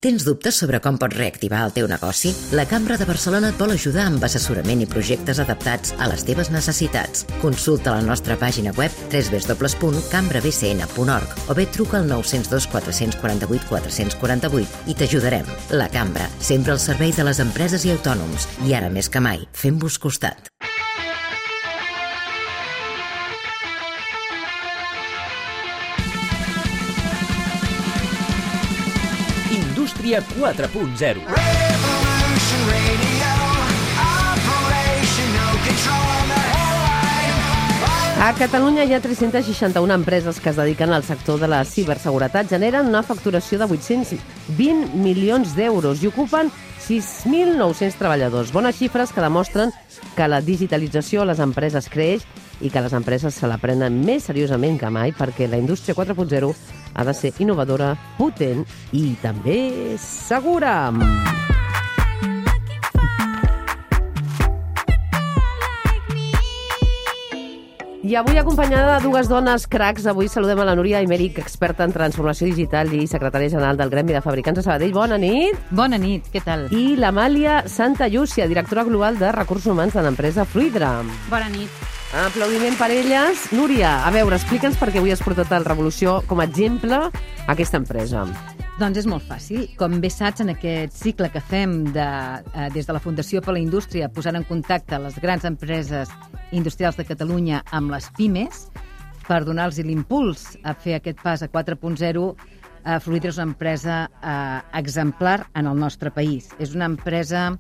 Tens dubtes sobre com pots reactivar el teu negoci? La Cambra de Barcelona et vol ajudar amb assessorament i projectes adaptats a les teves necessitats. Consulta la nostra pàgina web www.cambrabcn.org o bé truca al 902 448 448 i t'ajudarem. La Cambra, sempre al servei de les empreses i autònoms. I ara més que mai, fem-vos costat. Indústria 4.0. A Catalunya hi ha 361 empreses que es dediquen al sector de la ciberseguretat. Generen una facturació de 820 milions d'euros i ocupen 6.900 treballadors. Bones xifres que demostren que la digitalització a les empreses creix i que les empreses se la prenen més seriosament que mai, perquè la indústria 4.0 ha de ser innovadora, potent i també segura. I avui, acompanyada de dues dones cracs, avui saludem a la Núria Aymeric, experta en transformació digital i secretària general del Gremi de Fabricants de Sabadell. Bona nit. Bona nit, què tal? I l'Amàlia Santallúcia, directora global de Recursos Humans de l'empresa Fluidra. Bona nit. Aplaudiment per elles. Núria, a veure, explica'ns per què avui has portat el Revolució com a exemple a aquesta empresa. Doncs és molt fàcil. Com bé saps, en aquest cicle que fem des de la Fundació per la Indústria, posant en contacte les grans empreses industrials de Catalunya amb les pimes, per donar-los l'impuls a fer aquest pas a 4.0, Fluidra és una empresa exemplar en el nostre país. És una empresa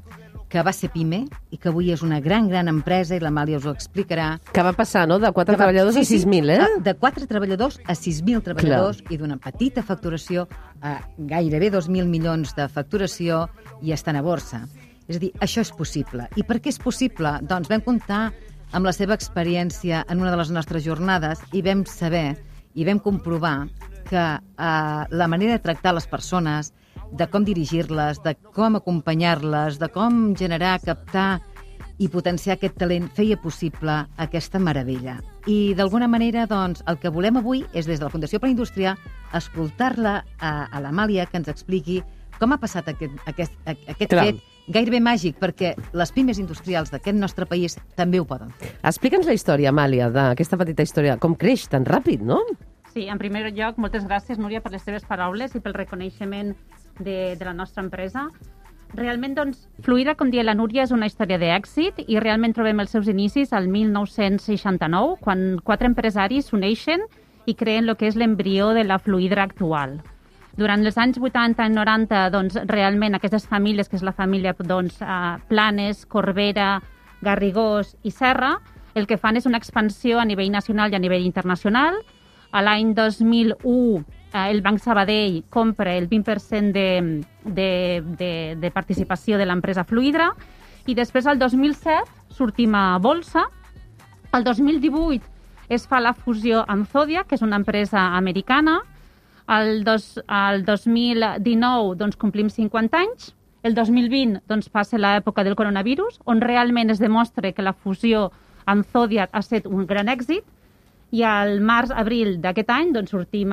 que va ser pime i que avui és una gran empresa, i l'Amàlia us ho explicarà. Que va passar, no?, de 4 treballadors a 6.000, eh? De 4 treballadors a 6.000 treballadors. Clar. I d'una petita facturació a gairebé 2.000 milions de facturació i estan a borsa. És a dir, això és possible. I per què és possible? Doncs vam comptar amb la seva experiència en una de les nostres jornades i vam saber i vam comprovar que la manera de tractar les persones, de com dirigir-les, de com acompanyar-les, de com generar, captar i potenciar aquest talent, feia possible aquesta meravella. I d'alguna manera, doncs, el que volem avui és, des de la Fundació per la Indústria, escoltar-la a l'Amàlia, que ens expliqui com ha passat aquest fet gairebé màgic, perquè les pimes industrials d'aquest nostre país també ho poden fer. Explica'ns la història, Amàlia, d'aquesta petita història. Com creix tan ràpid, no? Sí, en primer lloc, moltes gràcies, Núria, per les teves paraules i pel reconeixement de la nostra empresa. Realment, doncs, Fluidra, com deia la Núria, és una història d'èxit i realment trobem els seus inicis al 1969, quan 4 empresaris s'uneixen i creen el que és l'embrió de la Fluidra actual. Durant els anys 80 i 90, doncs, realment aquestes famílies, que és la família Planes, Corbera, Garrigós i Serra, el que fan és una expansió a nivell nacional i a nivell internacional. A l'any 2001, el Banc Sabadell compra el 20% de participació de l'empresa Fluidra i després, al 2007, sortim a bolsa. El 2018 es fa la fusió amb Zodia, que és una empresa americana. El 2019 doncs, complim 50 anys. El 2020 doncs, passa l'època del coronavirus, on realment es demostra que la fusió amb Zodia ha estat un gran èxit. I al març-abril d'aquest any doncs, sortim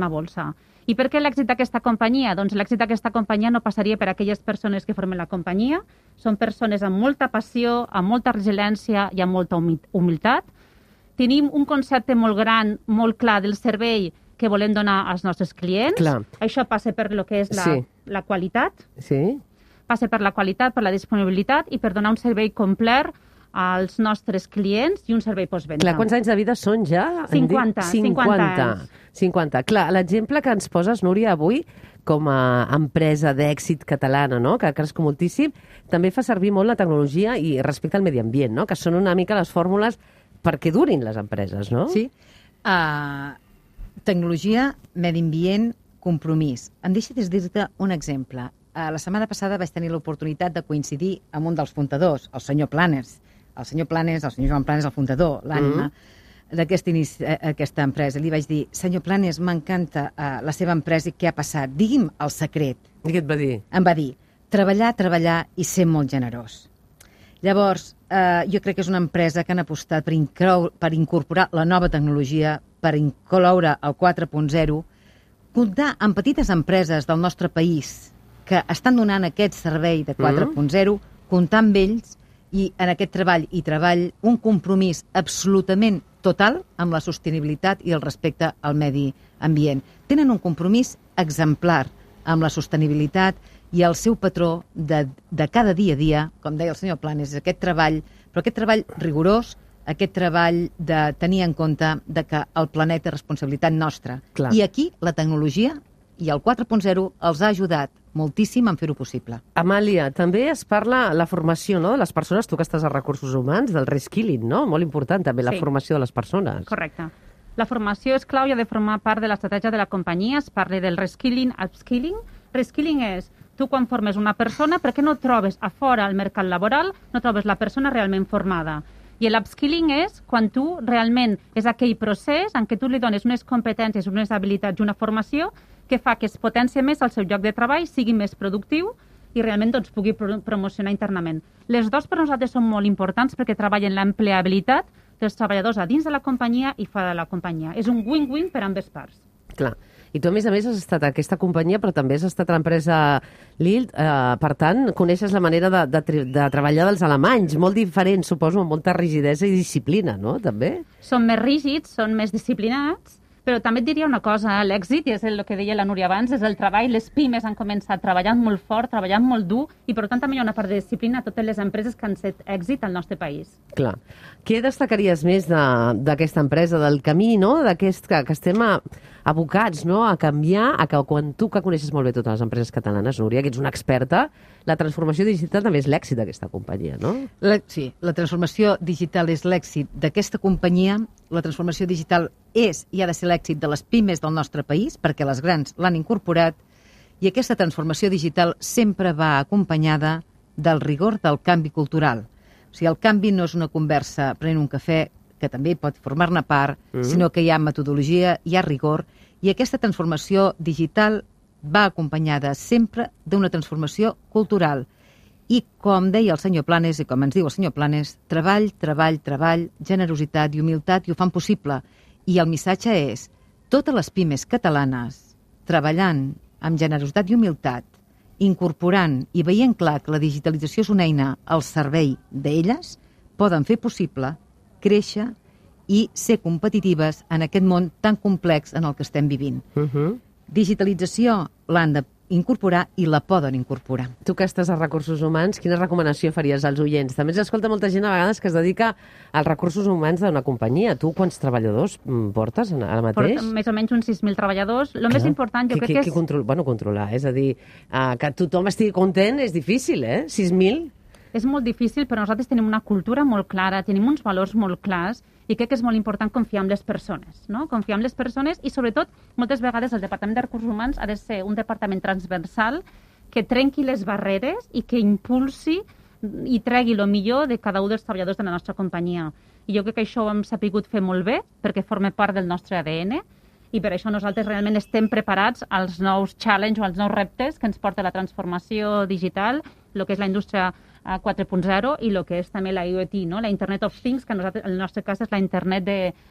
a bolsa. I per què l'èxit d'aquesta companyia? Doncs l'èxit d'aquesta companyia no passaria per aquelles persones que formen la companyia. Són persones amb molta passió, amb molta resiliència i amb molta humilitat. Tenim un concepte molt gran, molt clar del servei que volem donar als nostres clients. Clar. Això passa per lo que és la qualitat. Sí. Passa per la qualitat, per la disponibilitat i per donar un servei complet als nostres clients i un servei postvenda. Clar, quants anys de vida són ja? 50 anys. 50. Clar, l'exemple que ens poses, Núria, avui, com a empresa d'èxit catalana, no?, que ha crescut moltíssim, també fa servir molt la tecnologia i respecte al medi ambient, no?, que són una mica les fórmules perquè durin les empreses, no? Sí. Tecnologia, medi ambient, compromís. Em deixes dir-te un exemple. La setmana passada vaig tenir l'oportunitat de coincidir amb un dels fundadors, el senyor Planes. El senyor Joan Planes, el fundador, l'ànima d'aquesta empresa. Li vaig dir, senyor Planes, m'encanta la seva empresa i què ha passat. Digui'm el secret. I què et va dir? Em va dir, treballar i ser molt generós. Llavors, jo crec que és una empresa que han apostat per incorporar la nova tecnologia, per incloure el 4.0, comptar amb petites empreses del nostre país que estan donant aquest servei de 4.0, comptar amb ells i en aquest treball un compromís absolutament total amb la sostenibilitat i el respecte al medi ambient. Tenen un compromís exemplar amb la sostenibilitat i el seu patró de cada dia a dia, com deia el senyor Planes, aquest treball, però aquest treball rigorós, aquest treball de tenir en compte de que el planeta és responsabilitat nostra. Clar. I aquí la tecnologia i el 4.0 els ha ajudat moltíssim en fer-ho possible. Amàlia, també es parla la formació, no?, de les persones, tu que estàs a recursos humans, del reskilling, no? Molt important també la formació de les persones. Correcte. La formació és clau i ha de formar part de l'estratègia de la companyia. Es parla del reskilling, upskilling. Reskilling és, tu quan formes una persona, per què no trobes a fora al mercat laboral, no trobes la persona realment formada? I l'upskilling és quan tu realment és aquell procés en què tu li dones unes competències, unes habilitats i una formació que fa que es potencia més el seu lloc de treball, sigui més productiu i realment doncs, pugui promocionar internament. Les dues per nosaltres són molt importants perquè treballen l'empleabilitat dels treballadors a dins de la companyia i fora de la companyia. És un win-win per ambes parts. Clar. I tu, a més, has estat a aquesta companyia, però també has estat a l'empresa Lilt. Per tant, coneixes la manera de treballar dels alemanys, molt diferent, suposo, amb molta rigidesa i disciplina, no?, també? Són més rígids, són més disciplinats, però també et diria una cosa, l'èxit, i és el que deia la Núria abans, és el treball. Les pimes han començat treballant molt fort, treballant molt dur, i per tant també hi ha una part de disciplina a totes les empreses que han set èxit al nostre país. Clar. Què destacaries més d'aquesta empresa, del camí, no?, d'aquest que estem abocats, no?, a canviar, a que quan tu, que coneixes molt bé totes les empreses catalanes, Núria, que ets una experta, la transformació digital també és l'èxit d'aquesta companyia, no? Sí, la transformació digital és l'èxit d'aquesta companyia, la transformació digital és i ha de ser l'èxit de les pimes del nostre país, perquè les grans l'han incorporat, i aquesta transformació digital sempre va acompanyada del rigor del canvi cultural. O sigui, el canvi no és una conversa prenent un cafè, que també pot formar-ne part, sinó que hi ha metodologia, hi ha rigor, i aquesta transformació digital va acompanyada sempre d'una transformació cultural. I com deia el senyor Planes, i com ens diu el senyor Planes, treball, treball, treball, generositat i humilitat, i ho fan possible. I el missatge és, totes les pimes catalanes, treballant amb generositat i humilitat, incorporant i veient clar que la digitalització és una eina al servei d'elles, poden fer possible créixer i ser competitives en aquest món tan complex en el que estem vivint. Digitalització l'han d'incorporar i la poden incorporar. Tu que estàs a recursos humans, quina recomanació faries als oients? També ens escolta molta gent a vegades que es dedica als recursos humans d'una companyia. Tu quants treballadors portes ara mateix? Portem més o menys uns 6.000 treballadors. El més important jo crec que és... Controlar, és a dir, que tothom estigui content és difícil, 6.000? És molt difícil, però nosaltres tenim una cultura molt clara, tenim uns valors molt clars i crec que és molt important confiar en les persones, no? Confiar en les persones i, sobretot, moltes vegades el Departament de Recursos Humans ha de ser un departament transversal que trenqui les barreres i que impulsi i tregui el millor de cada un dels treballadors de la nostra companyia. I jo crec que això ho hem sapigut fer molt bé perquè forma part del nostre ADN i per això nosaltres realment estem preparats als nous challenges o als nous reptes que ens porta la transformació digital, el que és la indústria 4.0 i el que és també la IoT, no? La Internet of Things, que en el nostre cas és la internet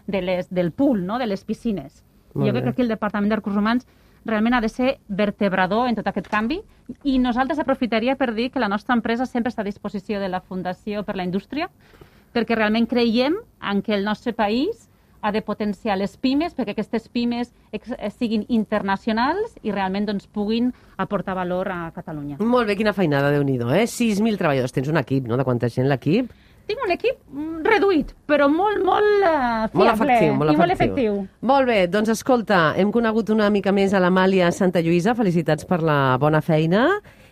del pool, no? De les piscines. Jo crec que aquí el Departament de Recursos Humans realment ha de ser vertebrador en tot aquest canvi i nosaltres aprofitaria per dir que la nostra empresa sempre està a disposició de la Fundació per la Indústria perquè realment creiem en que el nostre país ha de potenciar les pimes perquè aquestes pimes siguin internacionals i realment doncs, puguin aportar valor a Catalunya. Molt bé, quina feinada, Déu-n'hi-do, 6.000 treballadors. Tens un equip, no?, de quanta gent, l'equip? Tinc un equip reduït, però molt fiable i molt efectiu. Molt bé, doncs escolta, hem conegut una mica més a l'Amàlia Santa Lluïsa. Felicitats per la bona feina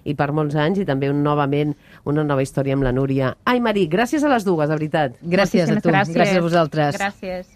i per molts anys i també novament una nova història amb la Núria. Ai, Marí, gràcies a les dues, de veritat. Gràcies a tu, gràcies a vosaltres. Gràcies.